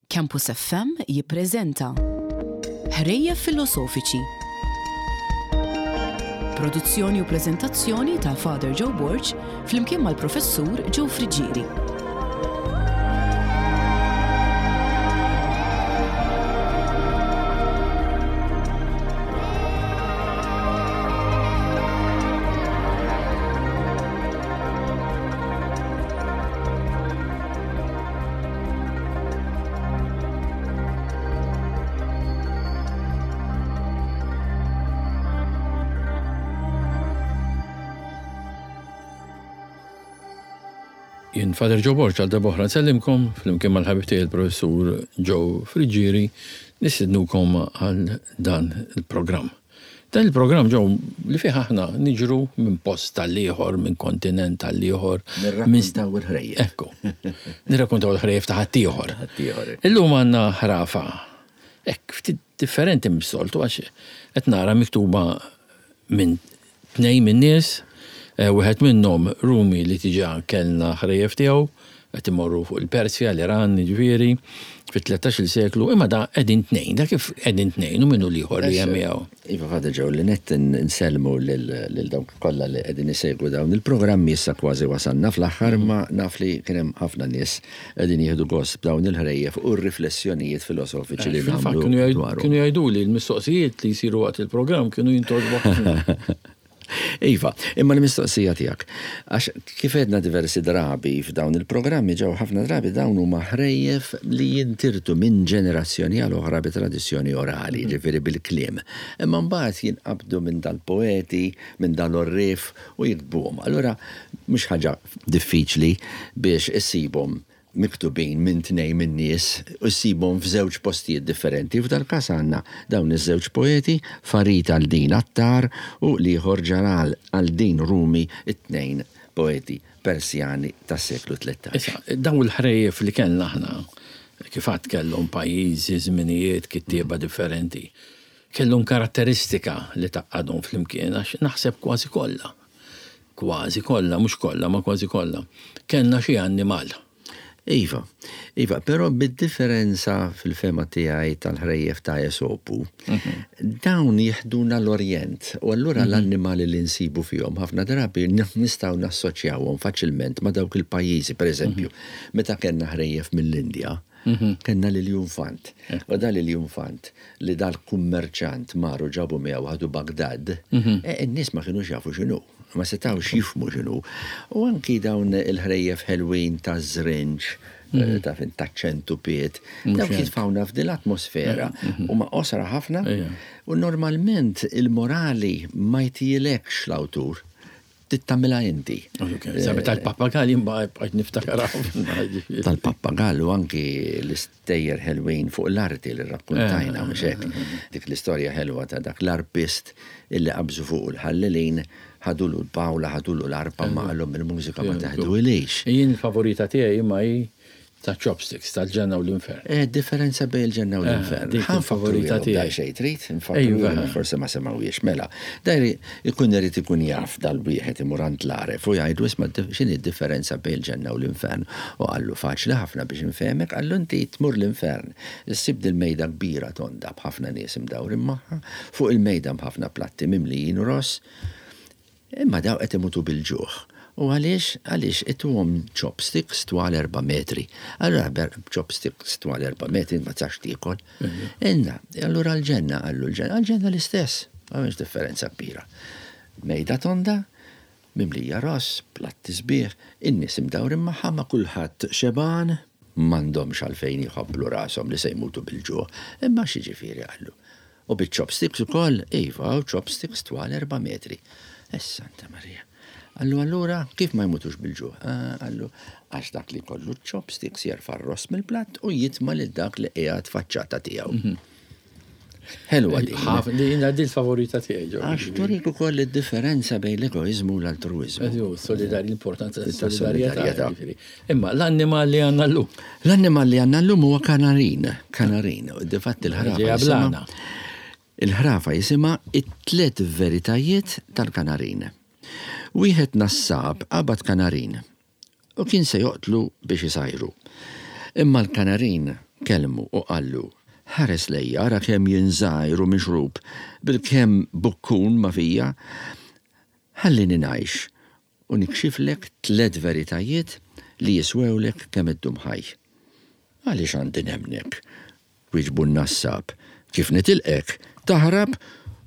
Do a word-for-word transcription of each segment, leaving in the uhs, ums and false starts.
Campus F M jippreżenta Ħrejjef Filosofiċi. Produzzjoni u preżentazzjoni ta' Father Joe Borg flimkien mal-Professur Joe Friggieri. Jien Father Joe Borg, għal darb'oħra nsellimkom flimkien mal-ħabib tiegħi il-Professur Joe Friggieri, nistednukom għal dan il-programm. Dan il-programm, Joe, li fih aħna niġru minn post tal-ieħor, minn kontinent tal-ieħor. Nirrakkontaw il-ħrejjef. Ekku. Nirrakkontaw il-ħrejjef ta' ħaddieħor. Ħaddieħor. Illum għandna ħrafa. Ekk, ftit differenti mis-soltu għax qed nara miktuba minn tnejn minn nies, eh, wieħed minnhom Rumi li diġà kellna ħrejjef tiegħu, qed imorru fuq il-Persja, l-Iran, ġifieri, fit-tlettax-il seklu, imma da qegħdin tnejn, da kif qegħdin tnejn u minnu l-ieħor li hemm miegħu? Iva, Father Joe, li nett nsellmu lil dawk kollha li qegħdin isegwu dawn il-programmi. Issa kważi wasalna fl-aħħar, imma naf li kien hemm ħafna nies qegħdin jieħdu gost b'dawn il-ħrejjef u r-riflessjonijiet filosofiċi li Fil-fatt nagħmlu kienu jgħid- dwarhom. kienu jgħidu li l-mistoqsijiet li jsiru waqt il-programm kienu jintgħoġbu ħafna. Iva, imma l-mistoqsija tiegħek, għax kif għedna diversi drabi f'dawn il-programmi ġew, ħafna drabi dawn huma ħrejjef li jintirtu minn ġenerazzjoni għal oħra bi tradizzjoni orali, ġifieri bil-kliem. Imma mbagħad jinqabdu minn dal-poeti, minn dal-orrif u jiktbuhom. Allura mhux ħaġa diffiċli biex issibhom miktubin minn tnejn minn nies u ssibhom f'żewġ postijiet differenti. F'dal każ għandna dawn iż-żewġ poeti, Farid al-Din Attar u l-ieħor Ġalal al-Din Rumi, it-tnejn poeti Persjani tas-seklu tlettax. Issa, dawn il-ħrejjef li kellna aħna, kif għad kellhom pajjiżi, żminijiet, kittieba differenti, kellhom karatteristika li tgħaqqadhom flimkien, għax naħseb kważi kollha. Kważi kollha, mhux kollha, ma kważi kollha. Kellna xi annimal. Iva, iva, però bid-differenza fil-fehma tiegħi tal-ħrejjef ta' Esopu, dawn jiħduna l-Orjent u allura l-annimali li nsibu fihom ħafna drabi nistgħu nassoċjawhom faċilment ma' dawk il-pajjiżi. Per eżempju, meta kellna ħrejjef mill-Indja, kellna l-iljunfant. U dal iljunfant li dal-kummerċant maru ġabu miegħu ħadu Bagdad, e, in-nies ma kienux jafu x'inhu, ma setawx jifhmu x'inhu. U anki dawn il-ħrejjef ħelwin ta' żrinġ, eh, ta' fin ta' ċentupiet, dawk jitfawna f'din l-atmosfera u ma qosra ħafna Ejja. u normalment il-morali ma jtijilekx l-awtur, tittamilha inti. Sabi tal-pappagalli mbagħad bqajt niftakar ħafna. Tal-pappagallu, anki l-istejjer ħelwin fuq l-arti li rrakkontajna, mhux hekk? Dik l-istorja ħelwa ta' dak l-arpist illi qabżu fuq il-ħallelin, ħadulu l-pawla, ħadulu l-arpa, ma qalhom il-mużika ma taħdu ilix. Jien il-favorita tiegħi imma hi ta' chopsticks, tal-ġenna u l-infern. Eh, differenza bejn il-ġenna u l-infern. Dik il-favorita tiegħi. Xejn trid, nfakru Ejwa. forse ma semawiex. Mela, dajri ikun irid ikun jaf dal-wieħed imur għand l-għaref u jgħidu: "Isma', x'inhi d-differenza bejn il-ġenna u l-infern?" U qallu: "Faċli ħafna biex infehmek," qallu, "inti tmur l-infern. Issib dil-mejda kbira tonda b'ħafna nies imdawrin magħha, fuq il-mejda b'ħafna platti mimlijin ross, imma daw qed imutu bil-ġuħ. U għaliex? Għaliex ituhom chopsticks twal erba' metri. Allura ber chopsticks twal erba' metri ma tistax tiekol. Inna, allura l-ġenna," qallu, "l-ġenna, l-ġenna l-istess, m'hemmx differenza kbira. Mejda tonda, mimlija ross, platti sbieħ, in-nies imdawrin magħha, ma kulħadd xeban, m'għandhomx għalfejn jħabblu rashom li se jmutu bil-ġuħ. Imma x'jiġifieri?" qallu. "U bil-chopsticks ukoll?" "Iva, u chopsticks twal erba' metri." "Es Santa Maria." Qallu: "Allura, kif ma jmutux bil-ġuħ?" "Ah," qallu, "għax dak li kollu chopsticks jerfa' r-ross mill-platt u jitma' lil dak li qiegħed faċċata tiegħu." Ħelwa din. Ħaf- Din din il-favorita tiegħi, Joe. Għax turik ukoll id-differenza bejn l-egoizmu u l-altruizmu. Eżju, solidar l-importanza Ta' tas-solidarjetà. solidarjetà. Ġifieri. Imma l-annimal li għandna llum. L-annimal li għandna llum huwa kanarin. Kanarin. U difatti il-ħrafa Ġeja jisimha- blana. Il-ħrafa jisimha "It-tliet veritajiet tal-kanarin". Wieħed nassab qabad kanarin u kien se joqtlu biex isajru. Imma l-kanarin Kellmu u qallu, ħares lejja, ara kemm jien żgħir u mixrub, bil-kemm bukkun ma fija, ħallini ngħix u nikxiflek tliet veritajiet li jiswewlek kemm iddum ħaj. Għaliex għandi nemmnek? Wieġbu n-nassab. Kif nitilqek, taħrab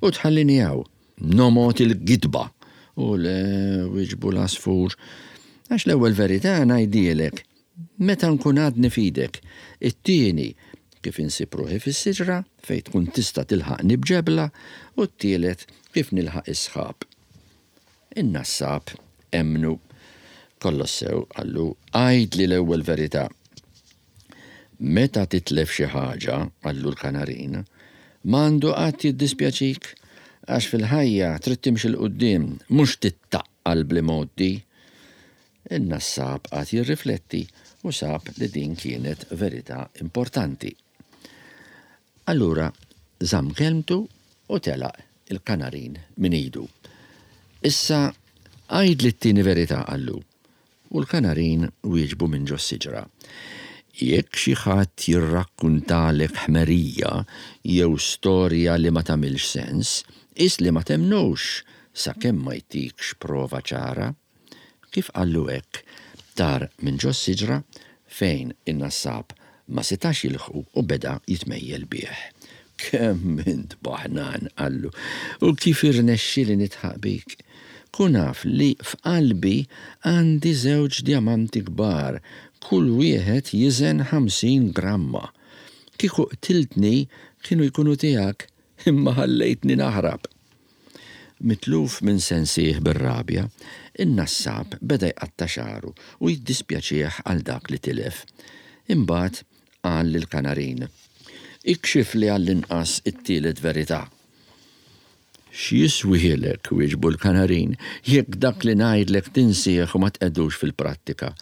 u tħallini hawn. Nomgħod il-gidba. U le, wieġbu l-għasfur. Għax l-ewwel verità ngħidhielek, meta nkun għadni f'idek. It-tieni, kif insib ruħi fis-siġra fejn tkun tista' tilħaqni b'ġebla, u t-tielet kif nilħaq is-sħab. In-nassab emmnu. Kollox sew, qallu, għidli l-ewwel verità. Meta titlef xi ħaġa, qallu l-kanarin, m'għandu qatt jiddispjaċik, għax fil-ħajja trid timxi 'l quddiem, mhux tittaqqal bl-imgħoddi. In-nassab qagħad jirrifletti u sab li din kienet verità importanti. Allura żamm kelmtu u telaq il-kanarin minn idu. Issa għidli t-tieni verità, qallu. U l-kanarin wieġbu minn ġo siġra. Jekk xi ħadd jirrakkuntalek ħmerija jew storja li ma tagħmilx sens, qis li ma temmnux sakemm ma jtikx prova ċara. Kif qallu hekk, tar minn ġo siġra fejn in-nassab ma setax jilħqu u beda jitmejjel bih. Kemm int baħnan, qallu, u kif irnexxieli nidħaq bik. Kun af li f'qalbi għandi żewġ djamanti kbar, kull wieħed jiżen ħamsin gramma. Kieku qtiltni kienu jkunu tiegħek, imma ħallejtni naħrab. Mitluf minn sensih bir-rabja, in-nassab beda jqatta' xagħru u jiddispjaċih għal dak li tilef. Imbagħad qal lill-kanarin, ikxifli għall-inqas it-tielet verità. X'jiswielek, wieġbu l-kanarin, jekk dak li ngħidlek tinsih u ma tqegħdux fil-prattika.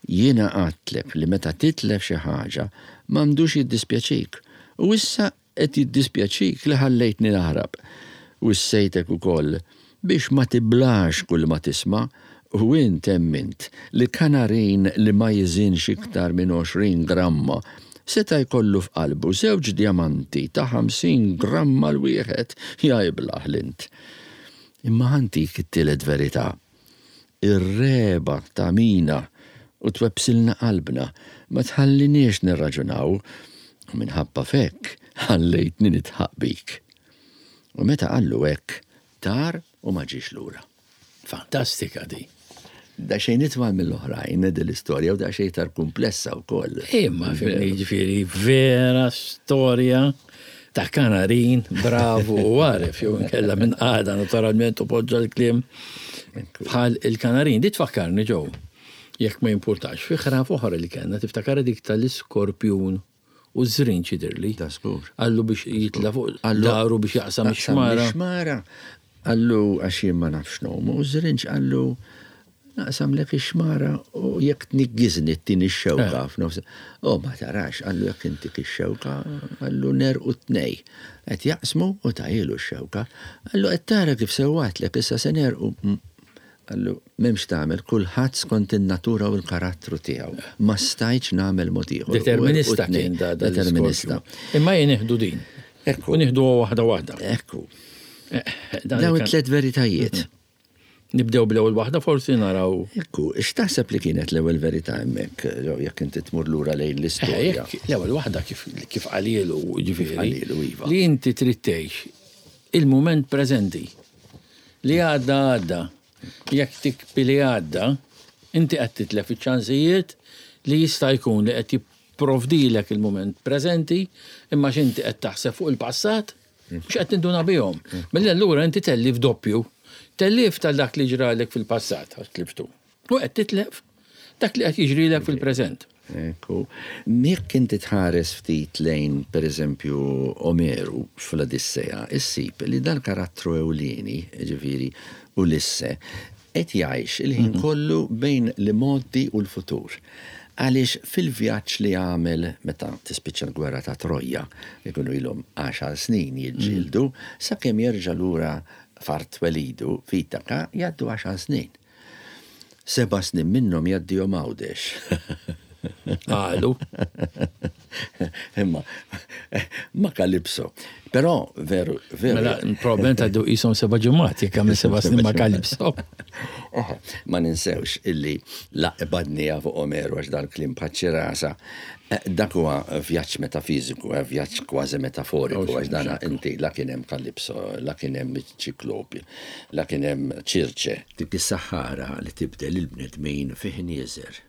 Jiena għedtlek li meta titlef xi ħaġa m'għandux jiddispjaċik, u issa qed jiddispjaċik li ħallejtni naħrab. Wissejtek ukoll biex ma tiblax kull ma tisma', u int emmint li kanarin li ma jiżinx iktar minn għoxrin gramma seta' jkollu f'qalbu żewġ djamanti ta' ħamsin gramma l-wieħed, jajblaħ l-int. Imma ħantik it-tielet verità. Ir-regħba tagħmina u twebbsilna qalbna, ma tħalliniex nirraġunaw, u minħabba f'hekk ħallejtni nidħaq bik. U meta qallu hekk, tar u ma ġiex lura. Fantastika di. Da xejn itwal mill-oħrajn din l-istorja u da xejn iktar komplessa wkoll. Imma fimni, ġifieri vera storja ta' kanarin, bravu u għaref, jew inkella minn għada naturalment u poġġa l-kliem bħal il-kanarin. Di tfakkarni ġew, jekk ma jimpurtax, fi ħraf oħra li kellna, tiftakar dik tal-iskorpjun u ż-żrinġ jidhirli. Ta' żgur. Qallu biex jitla fuq Qallu daru biex jaqsam jaqsam ix-xmara. ix-xmara. Qallu għax jien ma nafx ngħum, u ż-żrinġ qallu naqsamlek ix-xmara u jekk tniggiżni ttini x-xewka Eh. f'nofs. O ma tarax, qallu jekk intik ix-xewka, qallu nerqu tnej. Qed jaqsmu u tajilu x-xewka. Qallu qed tara kif sewwatlek issa se nerqu. Mm. Qallu m'hemmx tagħmel, kulħadd skont in-natura u l-karattru tiegħu. Ma stajtx nagħmel mod ieħor. Determinista U tnejn. kien da, da Determinista. l-iskorpju. Imma jien nieħdu din. Ekku. U nieħdu waħda waħda. Ekku. Eh, dan Dawn kan- it-tliet veritajiet. Nibdew bl-ewwel waħda forsi naraw. Ekku, x'taħseb li kienet l-ewwel verità hemmhekk, jekk inti tmur lura lejn Eh, l-istorja? jekk l-ewwel waħda kif kif qalilu, ġifieri. qalilu, iva. Li inti trid tgħix il-mument preżenti. Li għadda għadda. Jekk tikbi li għadda, inti qed titlef iċ-ċansijiet li jista' jkun li qed jipprovdilek il-mument preżenti, imma x'inti qed taħseb fuq il-passat, mhux qed tinduna bihom. Mela allura inti tellif doppju. Tellif tal dak li ġralek fil-passat, għax tliftu. U qed titlef dak li qed jiġrilek fil-preżent. Ekku, jekk inti tħares ftit lejn, per eżempju, Omeru fl-Odissea, issib li dal-karattru ewlieni, ġifieri Ulisse, qed jgħix il-ħin kollu bejn l-imgħoddi u l-futur. Għaliex fil-vjaġġ li għamel meta tispiċċa l-gwerra ta' Troja, ikunu ilhom għaxar snin jiġġieldu, sakemm jerġa' lura f'art twelidu f'Itaka jgħaddu għaxar snin. Seba' snin minnhom jgħaddihom Għawdex. Qalu. Imma ma Kalipso. Però veru, veru. Mela, problem ta' du jisom seba' ġimgħat, jekk għamil seba' snin ma' Kalipso. Ma ninsewx illi laqbadnija fuq Omeru għax dal-kliem bħaċ-ċirasa. Dak huwa vjaġġ metafiżiku, vjaġġ kważi metaforiku, għax dana inti la kien hemm Kalipso, la kien hemm ċiklopi, la kien hemm Ċirċe. Dik is-saħħara li tibdel il-bnedmin fih nieżer.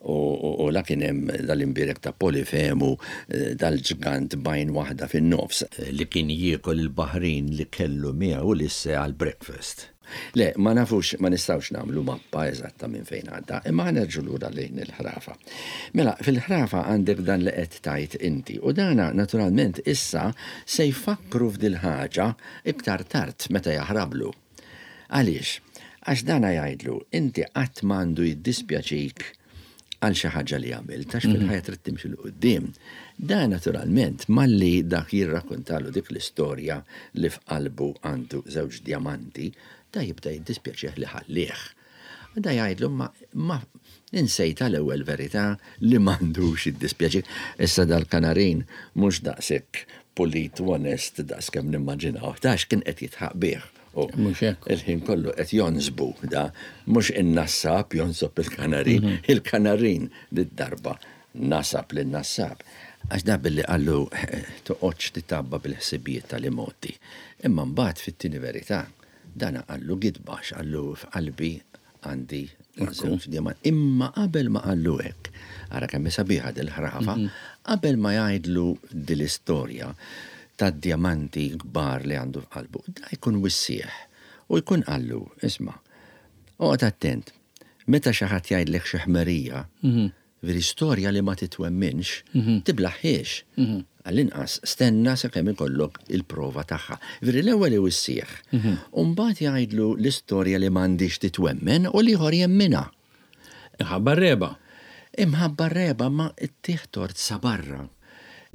U la kien hemm dal-imbirek ta' Polifemu, dal-ġgant bajn waħda fin-nofs li kien jiekol il-baħrin li kellu miegħu Ulisse għal breakfast. Le, ma nafux, ma nistawx nagħmlu mappa eżatta minn fejn għadda, imma nerġu lura lejn il-ħrafa. Mela, fil-ħrafa għandek dan li qed tajt inti, u dana naturalment issa se jfakru f'dil ħaġa iktar tard meta jaħrablu. Għaliex? Għax dana jgħidlu, inti qatt m'għandu jiddispjaċik għal xi ħaġa li għamilt, għax fil-ħajja trid timxi 'l quddiem. Da naturalment malli dak jirrakkontalu dik l-istorja li f'qalbu għandu żewġ djamanti, da jibda jiddispjaċih li ħallih. Da jgħidlu ma, ma insejta l-ewwel verità li m'għandux jiddispjaċih. Issa dal-kanarin mhux daqshekk pulit u onest daqs kemm nimmaġinaw, tax kien qed jitħaq bih. U Mhux hekk. il-ħin kollu qed jonsbu da mhux in-nassab jonsob il-kanarin, il-kanarin lid-darba nasab lin-nassab. Għax da billi qallu toqgħodx titabba bil-ħsibijiet tal-imoti. Imma mbagħad fit-tieni verità dana qallu gidba qallu f'qalbi għandi żewġ djamanti. Imma qabel ma qallu hekk, ara kemm sabiħa dil-ħrafa, qabel ma jgħidlu dil-istorja tad-djamanti kbar li għandu f'qalbu, da jkun wissieħ u jkun qallu, isma', oqgħod attent, meta xi ħadd jgħidlek xi ħmerija, veri storja li ma titwemminx, tiblaħħiex. Għall-inqas stenna sakemm ikollok il-prova tagħha. Veri l-ewwel iwissieħ. U mbagħad jgħidlu l-istorja li m'għandix titwemmen u l-ieħor jemminha. Imħabba r-reba. Imħabba r-reba ma ttih tort sa barra.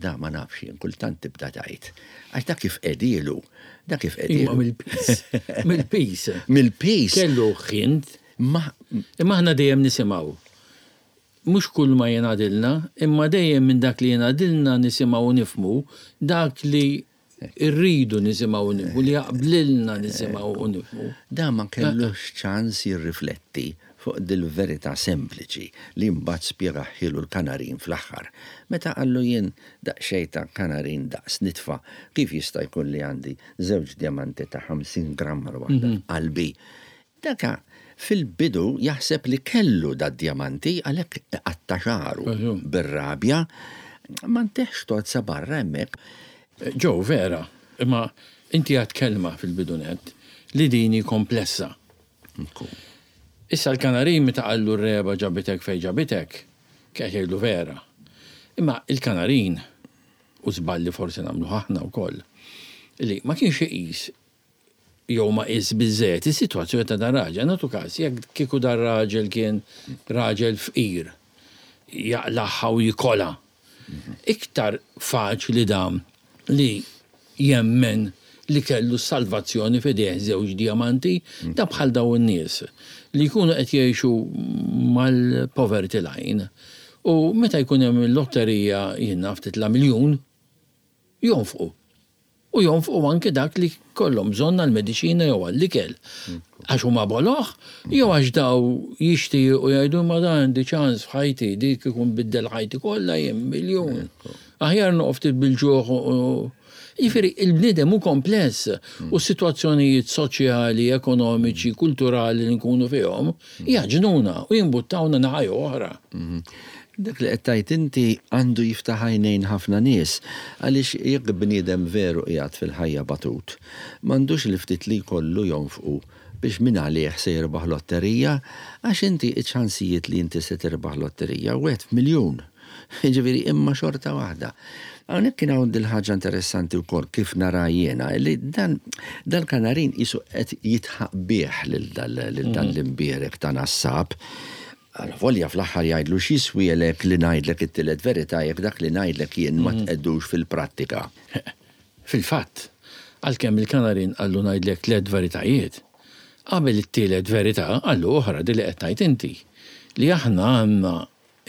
Da ma nafx jien kultant tibda tgħid. Għax da kif qedilu, da kif Imma qedilu. mill-pis. Mill-pis. Mill-pis. Kellu ħint, Ma imma aħna dejjem nisimgħu. Mhux kull ma jingħadilna, imma dejjem minn dak li jingħadilna nisimgħu u nifhmu, dak li rridu nisimgħu u nifhmu, li jaqblilna nisimgħu u nifhmu. Da ma kellux ċans jirrifletti fuq dil-verità sempliċi li mbagħad spjegahielu l-kanarin fl-aħħar. Meta qallu jien daqsxejn ta' kanarin daqs nitfa, kif jista' jkun li għandi żewġ djamanti ta' ħamsin gramma l-waħda f'qalbi. Daka fil-bidu jaħseb li kellu da djamanti għalhekk qatta' xagħru bir-rabja, ma nteħx tort sa barra hemmhekk. Ġo, vera, imma inti għad kelma fil-bidunet li dini komplessa. Issa l-kanarin meta qallu r-reba ġabitek fej ġabitek, kien jgħidlu vera. Imma il-kanarin, u żballi forsi nagħmlu aħna wkoll, li ma kienx iqis jew ma qis biżżejjed is-sitwazzjoni ta' dan raġel. Nagħtu każ, jekk kieku dan raġel kien raġel fqir, jaqlaħħa u jikola. Iktar faċli dam li jemmen li kellu salvazzjoni f'idejh żewġ diamanti, da bħal daw in-nies li jkunu qed jgħixu mal-poverty line. U meta jkun hemm il-lotterija jien naf titla' miljun, jonfqu. U jonfqu anke dak li kollhom bżonn għall-mediċina jew għall-ikel. Għax huma boloh, jew għax daw jixtiequ u jgħidu ma dan għandi ċans f'ħajti, dik ikun biddel ħajti kollha jien miljun. Aħjar noqgħod ftit bil-ġuħ u Jiġifieri, il-bniedem hu kompless u s-sitwazzjonijiet soċjali, ekonomiċi, kulturali li nkunu fihom jaġnuna u jimbuttawna naħa jew oħra. Dak li qed tgħid inti għandu jiftaħ għajnejn ħafna nies għaliex jekk bniedem veru qiegħed fil-ħajja batut, m'għandux li ftit li jkollu jonfqu biex min għalih se jirbaħ lotterija, għax inti iċ-ċansijiet li inti se tirbaħ lotterija wieħed f'miljun. Jiġifieri imma xorta waħda. Hawnhekk kien hawn dil-ħaġa interessanti wkoll kif nara jiena li dan dal-kanarin qisu qed jitħaq bih lil dal l-imbierek ta' nassab. Għal volja fl-aħħar jgħidlu x'jiswielek li ngħidlek it-tielet verità jekk dak li ngħidlek jien ma tqegħdux fil-prattika. Fil-fatt, għalkemm il-kanarin qallu ngħidlek tliet veritajiet, qabel it-tielet verità qallu oħra di li qed tgħid inti li aħna għandna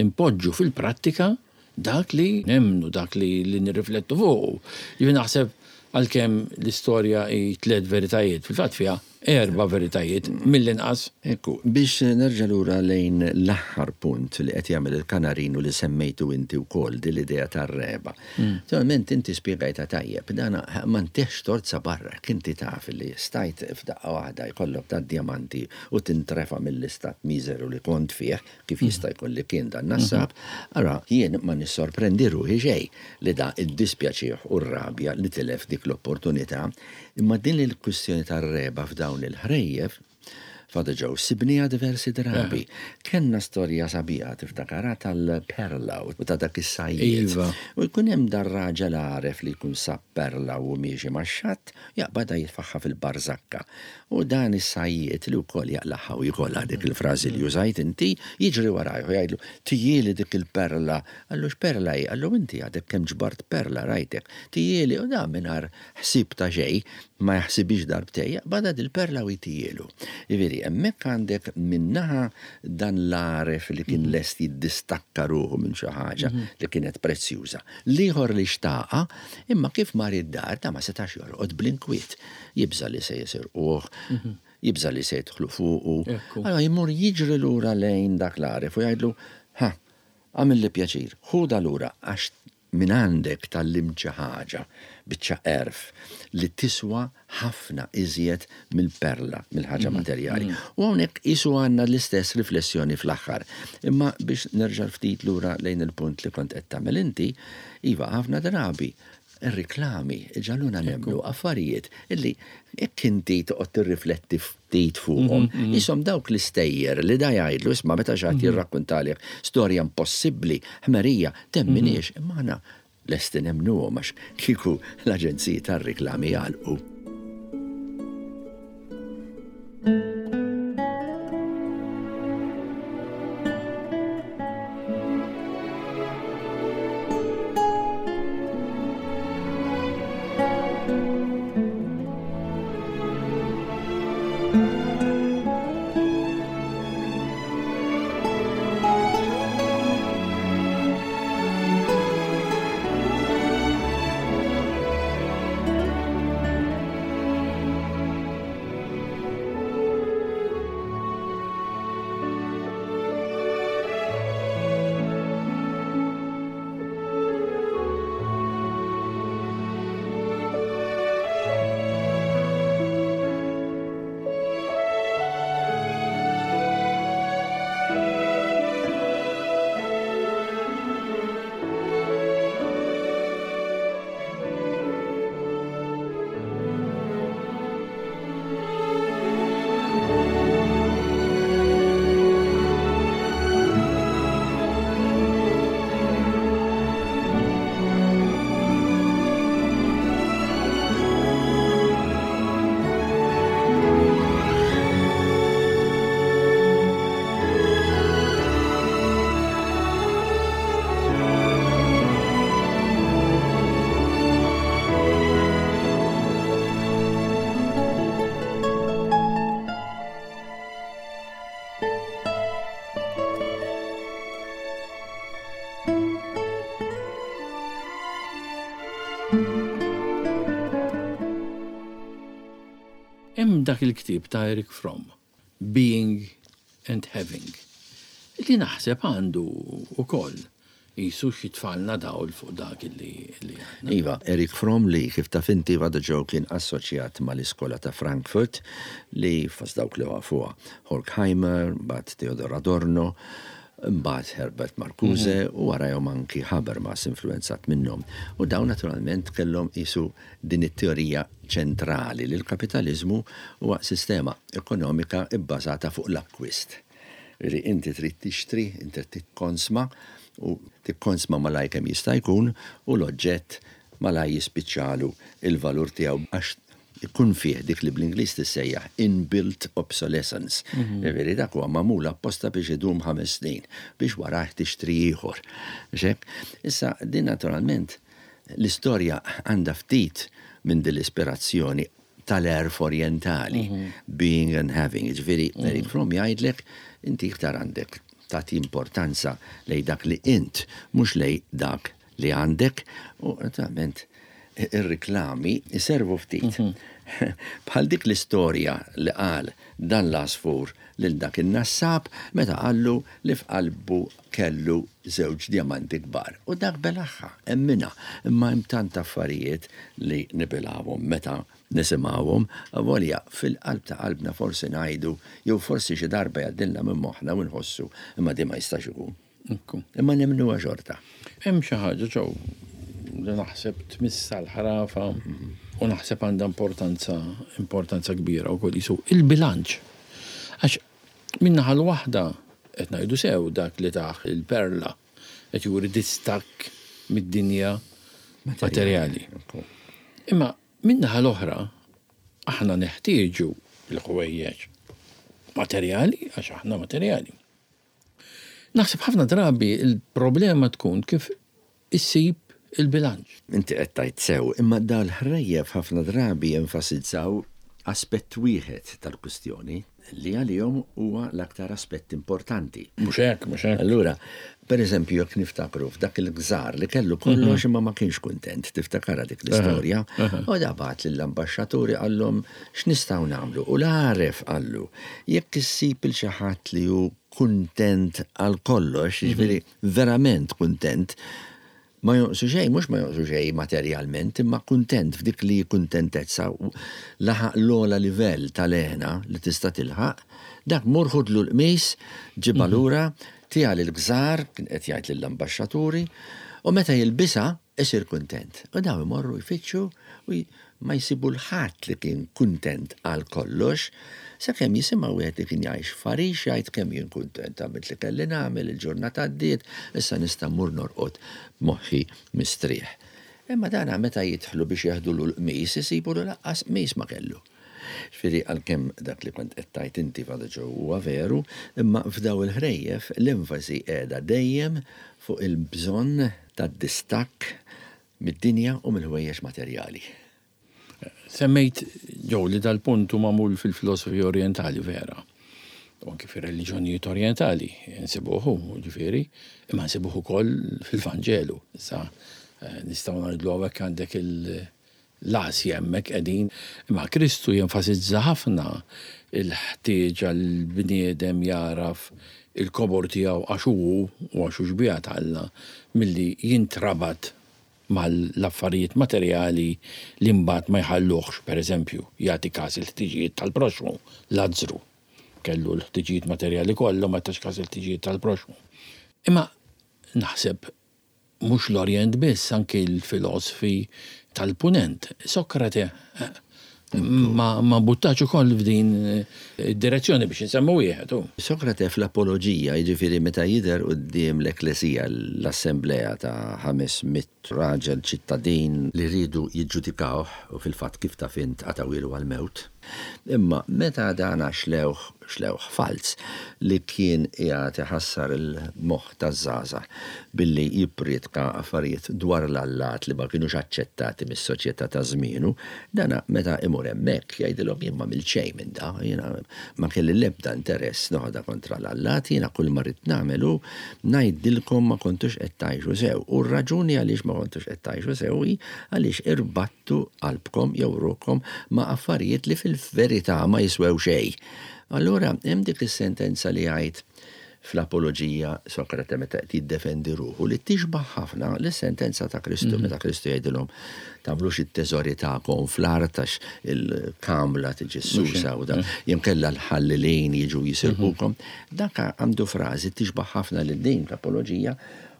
impoġġu fil-prattika dak li nemmnu, dak li, li nirriflettu fuq. Jien naħseb għalkemm l-istorja hi tliet veritajiet, fil-fatt fiha erba' veritajiet mill-inqas. Ekku, biex nerġa' lura lejn l-aħħar punt li qed jagħmel il-kanarinu li semmejtu inti wkoll din l-idea tar-regħba. Naturalment inti spjegajta tajjeb, dana ma ntihx torza barra, inti taf li stajt f'daqqa waħda jkollok ta' diamanti u tintrefa mill-istat miżeru li kont fih, kif jista' jkun li kien dan nassab, ara jien ma nissorprendi ruħi xejn li da iddispjaċih u r-rabja li tilef dik l-opportunità, imma din il-kwistjoni tar-regħba f'dawn il-ħrejjef, Father Joe, sibnija diversi drabi. Kenna storja sabiħa tiftakara tal-perla u ta' dak is-sajjied. Iva. U jkun hemm dar-raġel għaref li jkun sab perla u miexi max-xatt, jaqbadha jitfaħħa fil-barżakka. U dan is-sajjied li wkoll jaqlaħħa u jkollha dik il-frażi li użajt inti, jiġri warajh u jgħidlu, tijieli dik il-perla. Qallu x'perla hi? Qallu inti għadek kemm ġbart perla rajtek. Tijieli u dan mingħajr ħsieb ta' xejn, ma jaħsibix darbtejn, jaqbadha dil-perla u jtijielu. Jiġifieri, hemmhekk għandek minnaħa dan l-għaref li kien lest jiddistakka ruħu minn xi ħaġa li kienet prezzjuża. L-ieħor li xtaqa, imma kif mar id-dar ta' ma setax jorqod bl-inkwiet. Jibża' li se jisirquh, jibża' li se jidħlu fuqu. Ekku. Allora jmur jiġri lura lejn dak l-għaref u jgħidlu, ha, għamilli pjaċir, ħuda lura għax minn għandek tgħallimt xi ħaġa, biċċa għerf li tiswa ħafna iżjed mill-perla, mill-ħaġa materjali. U hawnhekk isu għandna l-istess riflessjoni fl-aħħar. Imma biex nerġa' ftit lura lejn il-punt li kont qed tagħmel inti, iva ħafna drabi ir-riklami ġaluna nemmnu affarijiet illi jekk inti toqgħod tirrifletti ftit fuqhom, isom dawk l-istejjer li da jgħidlu isma' meta xi ħadd jirrakkuntalek storja impossibbli, ħmerija, temminix, imma aħna lesti nemmnuhom għax kieku l-aġenziji tar-riklami jagħlqu. Hemm dak il-ktieb ta' Erich Fromm, Being and Having, li naħseb għandu ukoll jisu xitfalna dawl fuq dak li li għandna. Iva, Erich Fromm li kif taf inti Father Joe kien assoċjat mal-iskola ta' Frankfurt li fost dawk li wafuha Horkheimer, mbagħad Theodor Adorno, mbagħad Herbert Marcuse u warajhom anki Habermas influenzat minnhom. U dawn naturalment kellhom isu din it-teorija ċentrali li l-kapitaliżmu huwa sistema ekonomika bbażata fuq l-akkwist. Li inti trid tixtri, inti trid tikkonsma u tikkonsma malaj kemm jista' jkun u l-oġġett malaj jispiċċalu il-valur tiegħu għax ikun fih dik li bl-Ingliż tissejjaħ inbuilt obsolescence. Ġifieri dak huwa magħmul apposta biex idum ħames snin biex warah tixtri ieħor. Xek? Issa din naturalment l-istorja għandha ftit minn din l-ispirazzjoni tal-għerf orientali, being and having. Ġifieri Erich Fromm jgħidlek inti iktar għandek Tagħti importanza lejn dak li int, mhux lejn dak li għandek, u naturalment ir-riklami jservu ftit. Bħal dik l-istorja li qal dan l-għasfur lil dak in-nassab meta qallu li f'qalbu kellu żewġ djamanti kbar. U dak belagħha, emminha, imma hemm tant affarijiet li nibilgħuhom meta nisimgħuhom, avolja fil-qalb ta' qalbna forsi ngħidu jew forsi xi darba jgħaddilna minn moħħna u nħossu imma di ma jistax ikun. Imma nemmnuha xorta. Hemm xi ħaġa ġew li naħseb tmissa l-ħrafa u naħseb għandha importanza importanza kbira wkoll jisu il-bilanċ. Għax min-naħa l-waħda qed ngħidu sew dak li taħ il-perla qed juri distakk mid-dinja materjali. Imma min-naħa l-oħra aħna neħtieġu l-ħwejjeġ materjali għax aħna materjali. Naħseb ħafna drabi il-problema tkun kif issib il-bilanċ. Inti qed tgħid sew, imma dal-ħrejjef ħafna drabi jenfasizzaw aspett wieħed tal-kwistjoni li għalihom huwa l-aktar aspett importanti. Mhux hekk, mhux hekk. Allura, per eżempju, jekk niftakru f'dak il-gżar li kellu kollox imma ma kienx kuntent, tiftakara dik l-istorja, u da bagħat lill-ambaxxaturi qallhom x'nistgħu nagħmlu. U l-għaref qallu, jekk issib il xi ħadd li hu kuntent għal kollox, jiġifieri verament kuntent, ma jonqsu xejn, mhux ma jonqsu xejn materjalment, imma kuntent f'dik li kuntentezza laħaq l-ogħla livell tal-hena li tista' tilħaq, dak mur ħudlu l-qmis, ġibha lura, tiha lill-gżar, kien qed jgħid lill-ambaxxaturi, u meta jilbisha isir kuntent. U daw imorru jfittxu u ma jsibu l-ħadd li kien kuntent għal kollox, sakemm jisimgħu wieħed li kien jgħix f'għarix jgħid kemm jien kuntent għamilt li kelli nagħmel, il-ġurnata għaddiet, issa nista' mmur norqod moħħi mistrieħ. Imma dana meta jidħlu biex jeħdulu l-qmis isibu lu lanqas qmis ma kellu. Ġifieri għalkemm dak li kont qed tgħid inti Father Joe huwa veru, imma f'daw il-ħrejjef l-enfasi qiegħda dejjem fuq il-bżonn tad-distakk mid-dinja u mill-ħwejjeġ materjali. Semmejt, Joe, li dal-punt hu magħmul fil-filosofija orientali vera. U anki fir-reliġjonijiet orientali nsibuhu, ġifieri, imma nsibuhu ukoll fil-Vanġelu. Issa nistgħu ngħidlu hawnhekk għandek l-Asja hemmhekk qegħdin, imma Kristu jenfasizza ħafna il-ħtieġa l-bniedem jaraf il-kobor tiegħu għax hu u għax hu xbieha ta' Alla milli jintrabat mal-affarijiet materjali li mbagħad ma jħalluhx, per eżempju, jagħti każ il-ħtiġijiet tal-proxmu, Lazzru kellu l-ħtiġijiet materjali kollu ma tax każ il-ħtiġijiet tal-proxmu. Imma naħseb mhux l-Orjent biss, anki l-filosofi tal-Punent. Sokrate ma, ma buttax ukoll f'din id-direzzjoni biex insemmu wieħed. Sokrate fl-apoloġija, jiġifieri meta jidher quddiem l-Ekklesija, l-Assemblea ta' ħames mitt raġel ċittadin li rridu jiġġudikawh u fil-fatt kif taf int qatgħuhielu għall-mewt. Imma meta dana xlewh, xlewh falz li kien qiegħed iħassar il-moħħ taż-żgħażagħ billi jippriedka affarijiet dwar l-allat li ma kienux aċċettati mis-soċjetà ta' żmienu, dana meta imur hemmhekk jgħidilhom jien ma għamilt xejn minn da, jiena ma kelli l-ebda interess noħodha kontra l-allat, jiena kull ma rrid nagħmel hu ngħidilkom ma kontux qed tgħixu sew. U r-raġuni għaliex ma kontux qed tgħixu sew hi għaliex irbattu qalbkom jew ruħkom ma' affarijiet li fil-verità ma jiswew xejn. Allura hemm dik is-sentenza li jgħid fl-apoloġija Sokrate meta qed jiddefendi ruħu li tixbaħ ħafna lis-sentenza ta' Kristu meta Kristu jgħidilhom tagħmlux it-teżori tagħkom fl-art għax il-kamla tiġi susa u dan jimkella l-ħallelin jiġu jisirqukom. Dak għandu frażi tixbaħ ħafna lil din l-apoloġija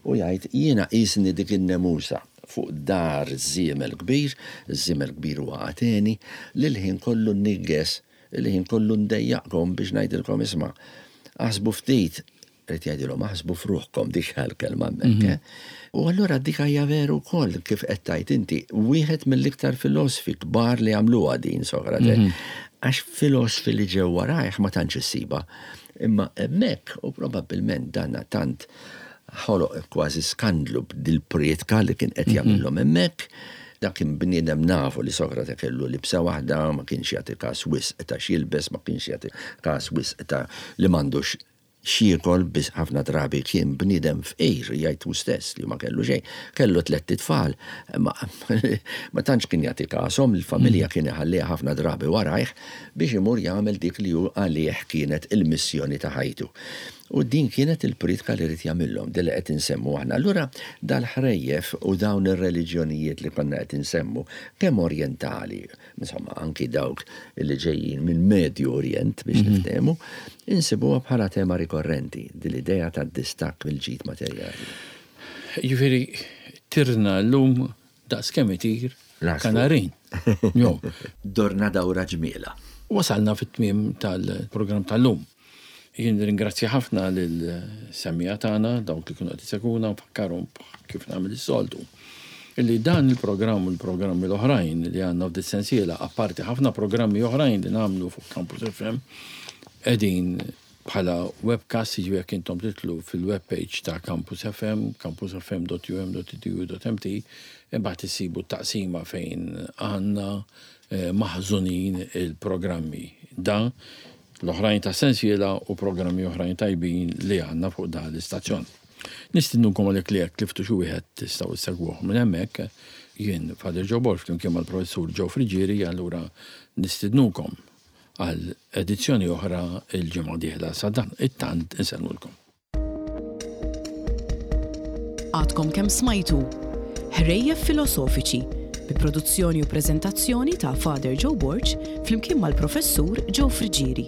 u jgħid jiena qisni dik in-nemusa fuq dar żiemel kbir, żiemel kbir huwa Ateni, li l-ħin kollu nigges, li ħin kollu ndejjaqkom biex ngħidilkom isma' aħsbu ftit, rrid jgħidilhom aħsbu f'ruħkom dik l-kelma hemmhekk. U allura dik hija veru wkoll kif qed tgħid inti, wieħed mill-iktar filosofi kbar li għamluha din Sokrate, għax filosofi li ġew warajh ma tantx issiba. Imma hemmhekk u probabbilment danna tant ħoloq kważi skandlu b'dil-prietka li kien qed jagħmilhom hemmhekk. Dak kien bniedem nafu li Sokrate kellu libsa waħda, ma kienx jagħti każ wisq ta' x'jilbes, ma kienx jagħti każ wisq ta' li m'għandux X'jiekol biss. Ħafna drabi kien bniedem fqir, jgħid hu stess li ma kellu xejn, kellu tlett itfal, ma, ma tantx kien jagħti kashom, il-familja kien iħalliha ħafna drabi warajh biex imur jagħmel dik li hu għalih kienet il-missjoni ta' ħajtu. U din kienet il-pritka li ried jagħmilhom, din li qed insemmu aħna. Allura dal-ħrejjef u dawn ir-reliġjonijiet li konna qed insemmu, kemm orientali, insomma anki dawk li ġejjin minn Medju Orient biex mhm. niftehmu, insibuha bħala tema rikorrenti, din l-idea tad-distakk mill-ġid materjali. Jiġifieri tirna llum daqs kemm itir kanarin. Jo. Dorna dawra ġmiela. Wasalna fit-tmiem tal-programm tal-lum. Jien ringrazzja ħafna lil-semmiegħa tagħna, dawk li kienu qed isegwuna, nfakkarhom kif nagħmel is-soltu. Illi dan il-programm u l-programmi l-oħrajn li għandna f'dis-sensiela, apparti ħafna programmi oħrajn li nagħmlu fuq Campus F M, qegħdin bħala webcast, jiġifieri jekk intom tidħlu fil-webpage ta' Campus F M, campusfm dot U M dot edu dot M T, imbagħad issibu taqsima fejn għandna eh, maħżunin il-programmi. Dan l-oħrajn ta' sensiela u programmi oħrajn tajbin li għandna fuq dan l-istazzjon. Nistednukom għalhekk li jekk tliftu xi wieħed tistgħu ssegwuh minn hemmhekk. Jien Father Joe Borg flimkien mal-professur Joe Friġieri, allura nistednukom għal edizzjoni oħra il-ġimgħa dieħla. Sa dan it-tant insellmulkom. Għadkom kemm smajtu Ħrejjef Filosofiċi bi produzzjoni u preżentazzjoni ta' Father Joe Borg flimkien mal-professur Joe Friġieri.